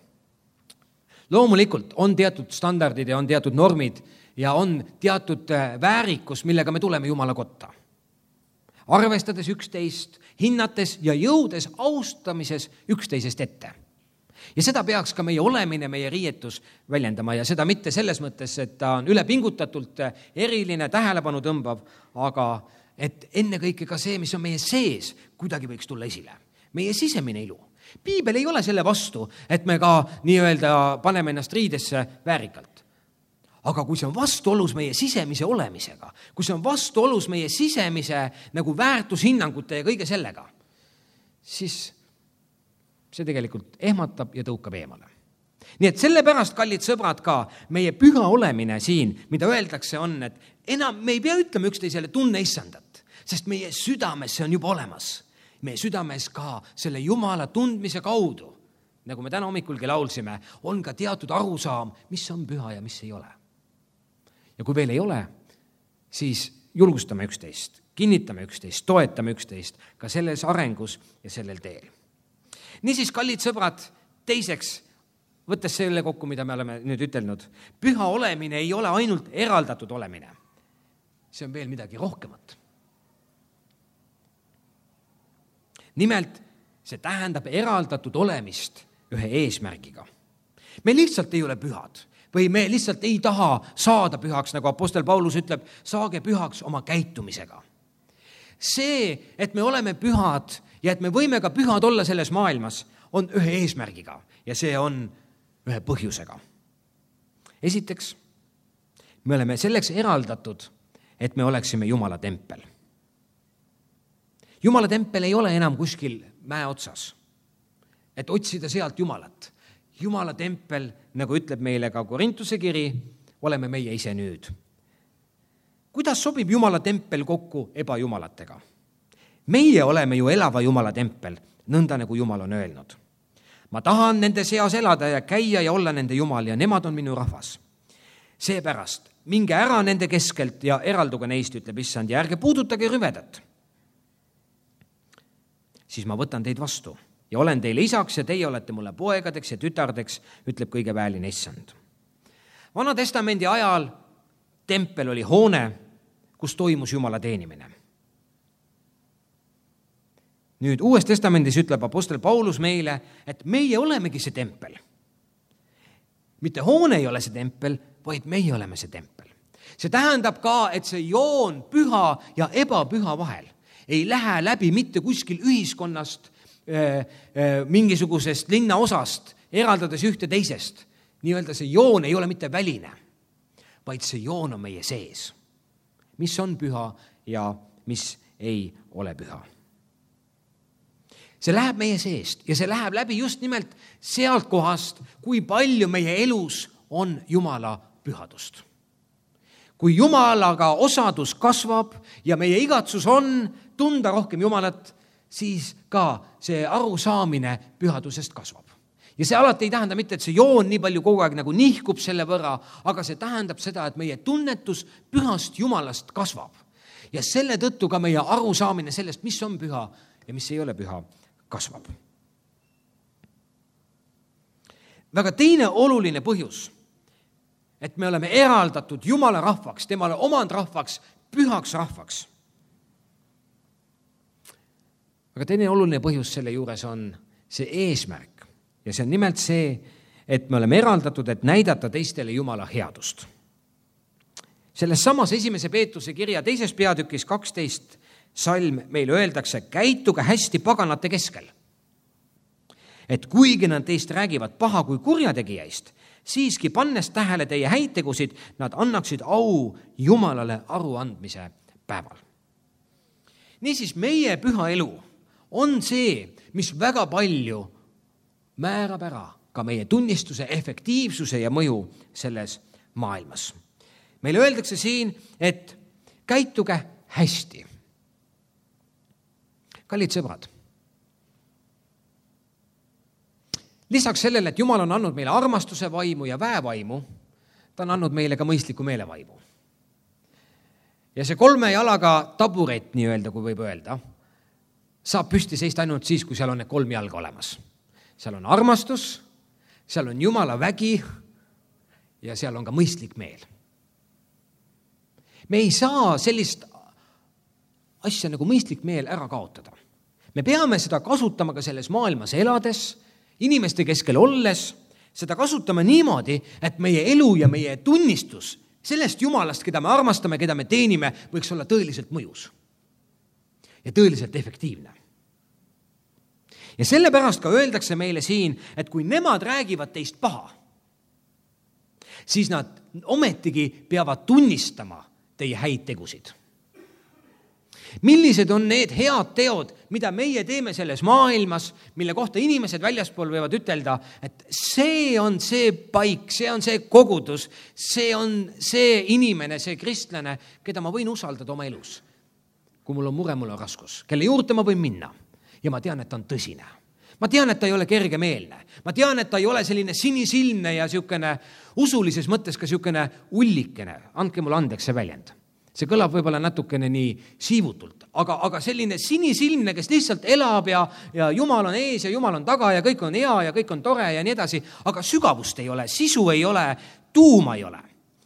Loomulikult on teatud standardid ja on teatud normid ja on teatud väärikus, millega me tuleme Jumala kotta. Arvestades üksteist, hinnates ja jõudes austamises üksteisest ette. Ja seda peaks ka meie olemine, meie riietus väljendama ja seda mitte selles mõttes, et ta on ülepingutatult eriline, tähelepanu tõmbav, aga et ennekõike ka see, mis on meie sees, kuidagi võiks tulla esile. Meie sisemine ilu. Piibel ei ole selle vastu, et me ka nii-öelda paneme ennast riidesse väärikalt. Aga kui see on vastuolus meie sisemise olemisega, kui see on vastuolus meie sisemise nagu väärtushinnangute ja kõige sellega, siis see tegelikult ehmatab ja tõukab eemale. Nii et sellepärast, kallid sõbrad, ka meie püha olemine siin, mida öeldakse on, et enam me ei pea ütlema üksteisele tunne issandat, sest meie südames see on juba olemas. Meie südames ka selle Jumala tundmise kaudu, nagu me täna hommikulgi laulsime, on ka teatud arusaam, mis on püha ja mis ei ole. Ja kui veel ei ole, siis julgustame üksteist, kinnitame üksteist, toetame üksteist ka selles arengus ja sellel teel. Niisiis, kallid sõbrad, teiseks, võttes selle kokku, mida me oleme nüüd ütelnud, püha olemine ei ole ainult eraldatud olemine. See on veel midagi rohkemat. Nimelt, see tähendab eraldatud olemist ühe eesmärgiga. Me lihtsalt ei ole pühad. Või me lihtsalt ei taha saada pühaks, nagu apostel Paulus ütleb, saage pühaks oma käitumisega. See, et me oleme pühad ja et me võime ka pühad olla selles maailmas, on ühe eesmärgiga ja see on ühe põhjusega. Esiteks, me oleme selleks eraldatud, et me oleksime Jumala tempel. Jumala tempel ei ole enam kuskil mäe otsas, et otsida sealt Jumalat. Jumala tempel, nagu ütleb meile ka Korintuse kiri, oleme meie ise nüüd. Kuidas sobib Jumala tempel kokku ebajumalatega? Meie oleme ju elava Jumala tempel, nõnda nagu Jumal on öelnud. Ma tahan nende seas elada ja käia ja olla nende Jumal ja nemad on minu rahvas. Seepärast minge ära nende keskelt ja eralduge neist, ütleb issand, ja ärge puudutage rüvedat. Siis ma võtan teid vastu. Ja olen teile isaks ja teie olete mulle poegadeks ja tütardeks, ütleb kõige väeline issand. Vana testamendi ajal tempel oli hoone, kus toimus Jumala teenimine. Nüüd Uues testamendis ütleb apostel Paulus meile, et meie olemegi see tempel. Mitte hoone ei ole see tempel, vaid meie oleme see tempel. See tähendab ka, et see joon püha ja ebapüha vahel ei lähe läbi mitte kuskil ühiskonnast, mingisugusest linna osast, eraldades ühte teisest. Nii-öelda see joon ei ole mitte väline, vaid see joon on meie sees. Mis on püha ja mis ei ole püha. See läheb meie seest ja see läheb läbi just nimelt sealt kohast, kui palju meie elus on Jumala pühadust. Kui Jumalaga osadus kasvab ja meie igatsus on tunda rohkem Jumalat, siis ka see arusaamine pühadusest kasvab. Ja see alati ei tähenda mitte, et see joon nii palju kogu aeg nagu nihkub selle võrra, aga see tähendab seda, et meie tunnetus pühast Jumalast kasvab. Ja selle tõttu ka meie arusaamine sellest, mis on püha ja mis ei ole püha, kasvab. Väga teine oluline põhjus, et me oleme eraldatud Jumala rahvaks, temale omand rahvaks, pühaks rahvaks. Aga teine oluline põhjus selle juures on see eesmärk ja see on nimelt see, et me oleme eraldatud, et näidata teistele Jumala headust. Selles samas esimese Peetruse kirja teises peatükis kaksteist salm meile öeldakse, käituge hästi paganate keskel. Et kuigi nad teist räägivad paha kui kurjategijaist, siiski pannes tähele teie häid tegusid, nad annaksid au Jumalale aruandmise päeval. Niisiis, meie püha elu on see, mis väga palju määrab ära ka meie tunnistuse, efektiivsuse ja mõju selles maailmas. Meile öeldakse siin, et käituge hästi. Kallid sõbrad, lisaks sellele, et Jumal on andnud meile armastuse vaimu ja väevaimu, ta on andnud meile ka mõistliku meelevaimu. Ja see kolme jalaga taburet, nii öelda, kui võib öelda, saab püsti seista ainult siis, kui seal on need kolm jalga olemas. Seal on armastus, seal on Jumala vägi ja seal on ka mõistlik meel. Me ei saa sellist asja nagu mõistlik meel ära kaotada. Me peame seda kasutama ka selles maailmas elades, inimeste keskel olles, seda kasutame niimoodi, et meie elu ja meie tunnistus sellest Jumalast, keda me armastame, keda me teenime, võiks olla tõeliselt mõjus ja tõeliselt efektiivne. Ja sellepärast ka öeldakse meile siin, et kui nemad räägivad teist paha, siis nad ometigi peavad tunnistama teie häid tegusid. Millised on need head teod, mida meie teeme selles maailmas, mille kohta inimesed väljaspool võivad ütelda, et see on see paik, see on see kogudus, see on see inimene, see kristlane, keda ma võin usaldada oma elus. Kui mul on mure, mul on raskus, kelle juurde ma võin minna ja ma tean, et ta on tõsine. Ma tean, et ta ei ole kergemeelne. Ma tean, et ta ei ole selline sinisilmne ja siukene usulises mõttes ka siukene ullikene. Andke mulle andeks see väljend. See kõlab võib-olla natukene nii siivutult, aga, aga selline sinisilmne, kes lihtsalt elab ja, ja Jumal on ees ja Jumal on taga ja kõik on hea ja kõik on tore ja nii edasi, aga sügavust ei ole, sisu ei ole, tuuma ei ole.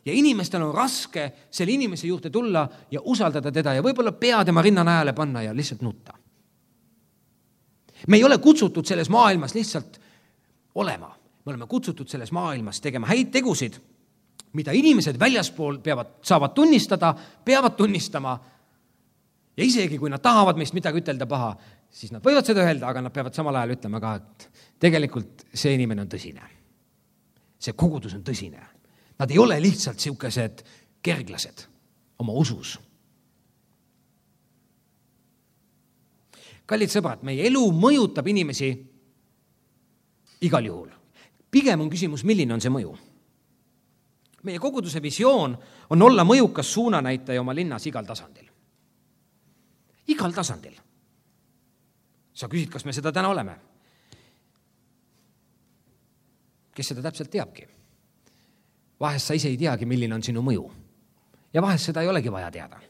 Ja inimestel on raske selle inimese juurde tulla ja usaldada teda ja võib-olla pea tema rinna najale panna ja lihtsalt nutta. Me ei ole kutsutud selles maailmas lihtsalt olema. Me oleme kutsutud selles maailmas tegema häid tegusid, mida inimesed väljaspool peavad, saavad tunnistada, peavad tunnistama ja isegi kui nad tahavad meist midagi ütelda paha, siis nad võivad seda öelda, aga nad peavad samal ajal ütlema ka, et tegelikult see inimene on tõsine. See kogudus on tõsine. Nad ei ole lihtsalt siukesed kerglased oma usus. Kallid sõbrad, meie elu mõjutab inimesi igal juhul. Pigem on küsimus, milline on see mõju. Meie koguduse visioon on olla mõjukas suunanäitaja oma linnas igal tasandil. Igal tasandil. Sa küsid, kas me seda täna oleme? Kes seda täpselt teabki? Vahest sa ise ei teagi, milline on sinu mõju. Ja vahest seda ei olegi vaja teada.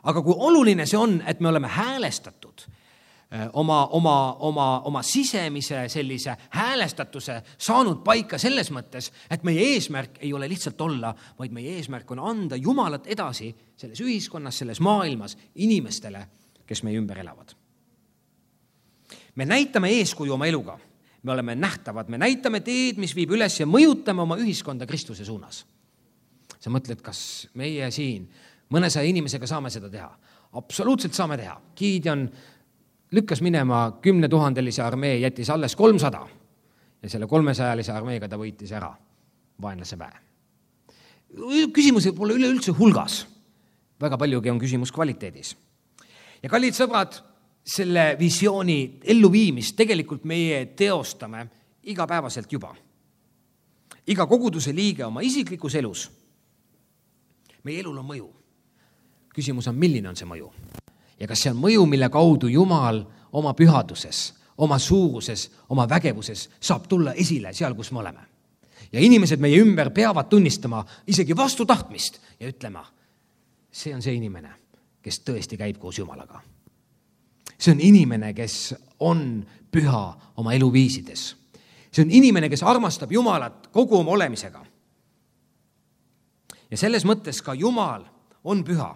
Aga kui oluline see on, et me oleme häälestatud Oma, oma, oma, oma sisemise sellise häälestatuse saanud paika selles mõttes, et meie eesmärk ei ole lihtsalt olla, vaid meie eesmärk on anda Jumalat edasi selles ühiskonnas, selles maailmas inimestele, kes meie ümber elavad. Me näitame eeskuju oma eluga. Me oleme nähtavad, me näitame teed, mis viib üles ja mõjutame oma ühiskonda Kristuse suunas. Sa mõtled, kas meie siin mõnesaja inimesega saame seda teha? Absoluutselt saame teha. Gideon lükkas minema kümne tuhandelise armee, jättis alles kolmsada ja selle kolmesajalise armeega ta võitis ära vaenlase väe. Küsimus pole üleüldse hulgas. Väga paljugi on küsimus kvaliteedis. Ja kallid sõbrad, selle visiooni elluviimist tegelikult meie teostame igapäevaselt juba. Iga koguduse liige oma isiklikus elus. Meie elul on mõju. Küsimus on, milline on see mõju? Ja kas see on mõju, mille kaudu Jumal oma pühaduses, oma suuruses, oma vägevuses saab tulla esile seal, kus me oleme. Ja inimesed meie ümber peavad tunnistama isegi vastu tahtmist ja ütlema, see on see inimene, kes tõesti käib koos Jumalaga. See on inimene, kes on püha oma eluviisides. See on inimene, kes armastab Jumalat kogu oma olemisega. Ja selles mõttes ka Jumal on püha.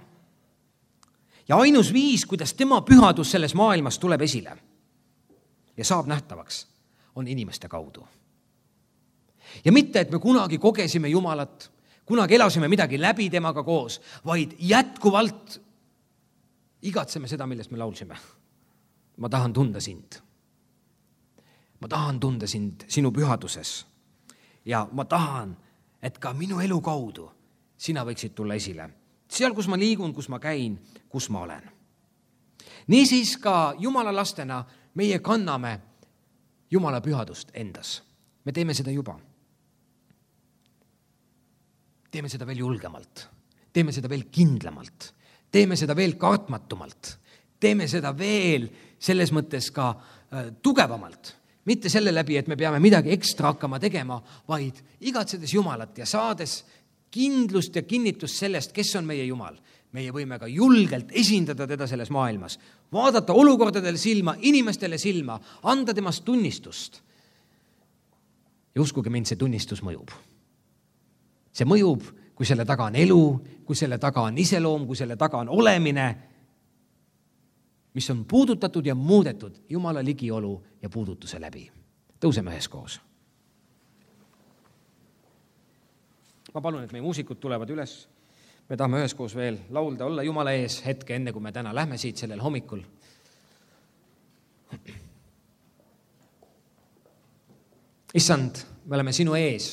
Ja ainus viis, kuidas tema pühadus selles maailmas tuleb esile ja saab nähtavaks, on inimeste kaudu. Ja mitte, et me kunagi kogesime Jumalat, kunagi elasime midagi läbi temaga koos, vaid jätkuvalt igatseme seda, millest me laulsime. Ma tahan tunda sind. Ma tahan tunda sind sinu pühaduses. Ja ma tahan, et ka minu elu kaudu sina võiksid tulla esile. Seal, kus ma liigun, kus ma käin, kus ma olen. Niisiis ka Jumala lastena meie kanname Jumala pühadust endas. Me teeme seda juba. Teeme seda veel julgemalt. Teeme seda veel kindlamalt. Teeme seda veel kartmatumalt. Teeme seda veel selles mõttes ka äh, tugevamalt. Mitte selle läbi, et me peame midagi ekstra hakkama tegema, vaid igatsedes Jumalat ja saades kindlust ja kinnitust sellest, kes on meie Jumal. Meie võime ka julgelt esindada teda selles maailmas. Vaadata olukordadele silma, inimestele silma, anda temast tunnistust. Ja uskuge mind, see tunnistus mõjub. See mõjub, kui selle taga on elu, kui selle taga on iseloom, kui selle taga on olemine, mis on puudutatud ja muudetud Jumala ligiolu ja puudutuse läbi. Tõuseme üheskoos. Ma palun, et meie muusikud tulevad üles. Me tahame üheskoos veel laulda, olla Jumala ees hetke, enne kui me täna lähme siit sellel hommikul. Issand, me oleme sinu ees.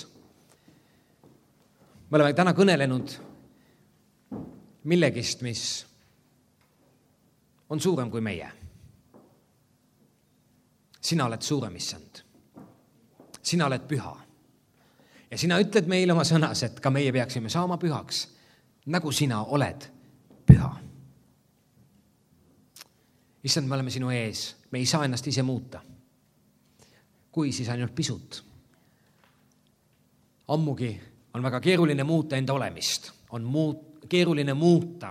Me oleme täna kõnelenud millegist, mis on suurem kui meie. Sina oled suurem, Issand. Sina oled püha. Ja sina ütled meile oma sõnas, et ka meie peaksime saama pühaks, nagu sina oled püha. Issand, me oleme sinu ees. Me ei saa ennast ise muuta. Kui siis ainult pisut. Ammugi on väga keeruline muuta enda olemist. On muut, keeruline muuta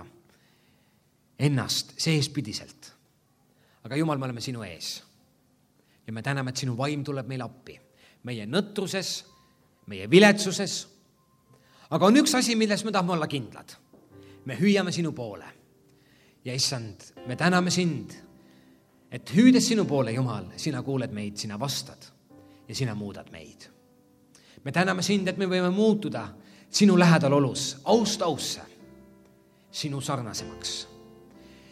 ennast seespidiselt. Aga Jumal, me oleme sinu ees. Ja me täname, et sinu vaim tuleb meil appi. Meie nõtruses, meie viletsuses. Aga on üks asi, milles me tahame olla kindlad. Me hüüame sinu poole. Ja issand, me täname sind, et hüüdes sinu poole, Jumal, sina kuuled meid, sina vastad ja sina muudad meid. Me täname sind, et me võime muutuda sinu lähedal olus, aust ausse, sinu sarnasemaks.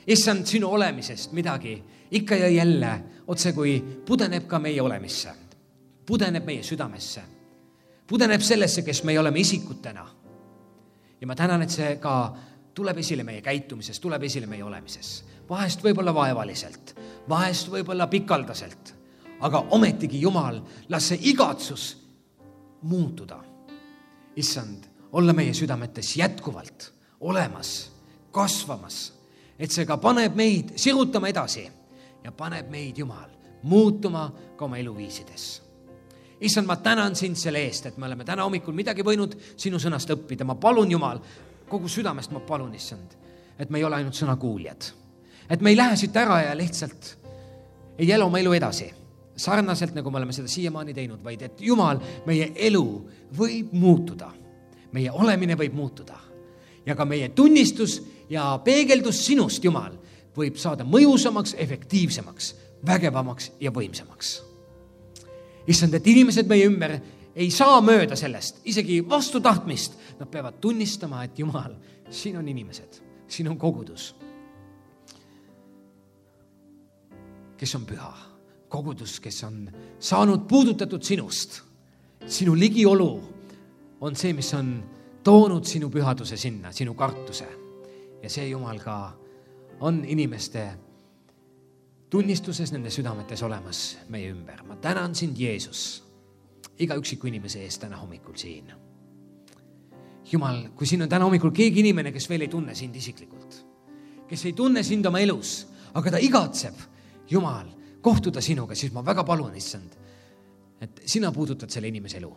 Issand, sinu olemisest midagi ikka ja jälle otse kui pudeneb ka meie olemisse, pudeneb meie südamesse, pudeneb sellesse, kes me oleme isikutena. Ja ma tänan, et see ka tuleb esile meie käitumises, tuleb esile meie olemises. Vahest võib-olla vaevaliselt, vahest võib-olla pikaldaselt, aga ometigi Jumal, las see igatsus muutuda. Issand, olla meie südametes jätkuvalt olemas, kasvamas, et see ka paneb meid sirutama edasi ja paneb meid, Jumal, muutuma ka oma eluviisides. Issand, ma tänan sind selle eest, et me oleme täna hommikul midagi võinud sinu sõnast õppida. Ma palun, Jumal, kogu südamest ma palun, Issand, et me ei ole ainult sõnakuuljad. Et me ei lähe siit ära ja lihtsalt ei ela oma elu edasi, sarnaselt nagu me oleme seda siiamaani teinud, vaid et Jumal, meie elu võib muutuda. Meie olemine võib muutuda. Ja ka meie tunnistus ja peegeldus sinust, Jumal, võib saada mõjusamaks, efektiivsemaks, vägevamaks ja võimsamaks. Issand, et inimesed meie ümber ei saa mööda sellest, isegi vastu tahtmist. Nad peavad tunnistama, et Jumal, siin on inimesed, siin on kogudus, kes on püha. Kogudus, kes on saanud puudutatud sinust. Sinu ligiolu on see, mis on toonud sinu pühaduse sinna, sinu kartuse. Ja see, Jumal, ka on inimeste tunnistuses nende südametes olemas meie ümber. Ma tänan sind, Jeesus, iga üksiku inimese eest täna hommikul siin. Jumal, kui siin on täna hommikul keegi inimene, kes veel ei tunne sind isiklikult, kes ei tunne sind oma elus, aga ta igatseb, Jumal, kohtuda sinuga, siis ma väga palun, Issand, et sina puudutad selle inimese elu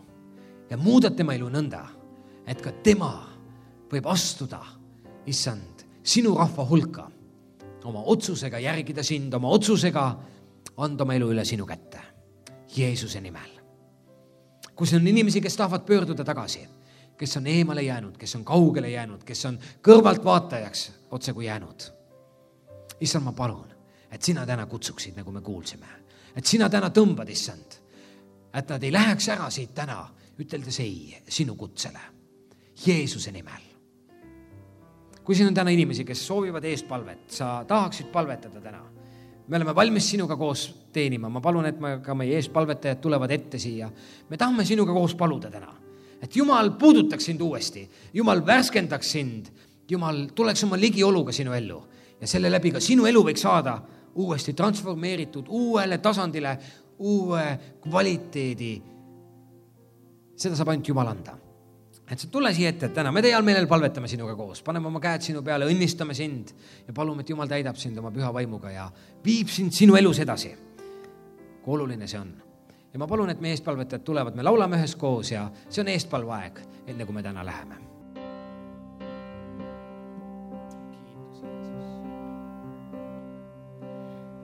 ja muudad tema elu nõnda, et ka tema võib astuda, Issand, sinu rahva hulka, oma otsusega järgida sind, oma otsusega anda oma elu üle sinu kätte. Jeesuse nimel. Kus on inimesi, kes tahavad pöörduda tagasi, kes on eemale jäänud, kes on kaugele jäänud, kes on kõrvalt vaatajaks otse kui jäänud. Issand, ma palun, et sina täna kutsuksid, nagu me kuulsime. Et sina täna tõmbad, Issand, et nad ei läheks ära siit täna üteldes ei sinu kutsele Jeesuse nimel. Kui siin on täna inimesi, kes soovivad eestpalvet, sa tahaksid palvetada täna. Me oleme valmis sinuga koos teenima. Ma palun, et me ka meie eestpalvetajad tulevad ette siia. Me tahame sinuga koos paluda täna, et Jumal puudutaks sind uuesti. Jumal värskendaks sind. Jumal tuleks oma ligioluga sinu ellu. Ja selle läbi ka sinu elu võiks saada uuesti transformeeritud uuele tasandile, uue kvaliteedi. Seda saab ainult Jumal anda. Et sa tule siia ette, et täna me teie all meelel palvetame sinuga koos, paneme oma käed sinu peale, õnnistame sind ja palume, et Jumal täidab sind oma püha vaimuga ja viib sind sinu elus edasi. Kui oluline see on. Ja ma palun, et meie eestpalvetajad tulevad, me laulame ühes koos ja see on eestpalvaeg, enne kui me täna läheme.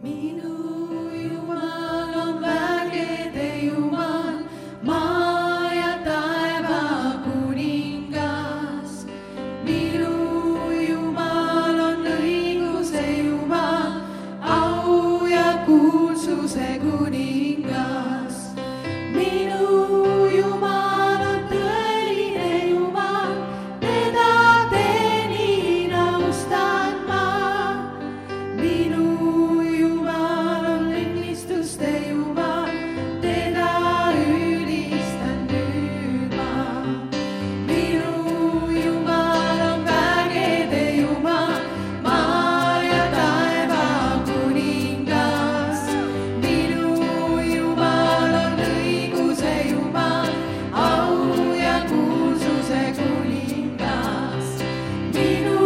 Minu Jumal on vägede Jumal, maa ja taeva kuningas. Minu Jumal on õiguse Jumal, au ja kuulsuse kuningas. Minu Jumal on tõeline Jumal, teda teenin austan ma. Minu Jumal on õnnistuste Jumal, teda ülistan nüüd ma. Minu Jumal on vägede Jumal, maa ja taeva kuningas. Minu Jumal on õiguse Jumal, au ja kuulsuse kuningas. Minu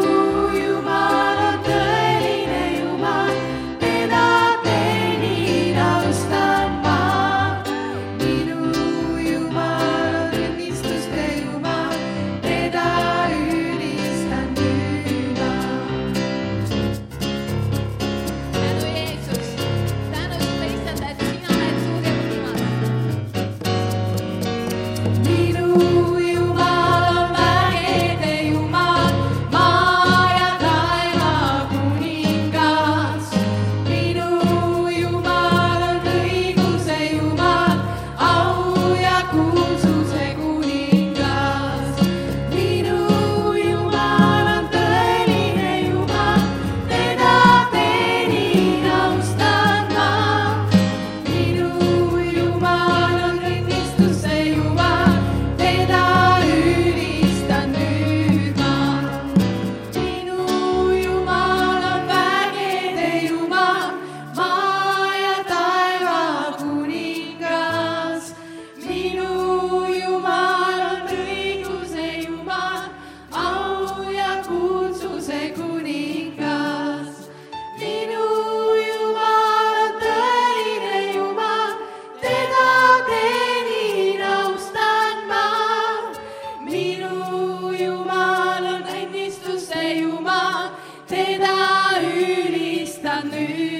Jumal on tõeline Jumal, teda teenin austan ma. Minu Jumal on õnnistuste Jumal, teda ülistan nüüd ma. Tänu Jeesus, tänu sulle issand, et sina oled suurem Jumal. Minu Jumal on vägede Jumal, maa ja taeva kuningas. Minu Jumal on õiguse Jumal, au ja kuulsuse kuningas. Minu Jumal on tõeline Jumal, teda teenin austan ma. Minu Jumal on õnnistuse Jumal, teda ülistan nüüd ma. Minu Jumal on vägede Jumal, maa ja taeva kuningas. Minu Jumal on õiguse Jumal, au ja kuulsuse kuningas. Minu Jumal on tõeline Jumal, teda teenin austan ma. Minu Jumal on õnnistuste Jumal, teda ülistan nüüd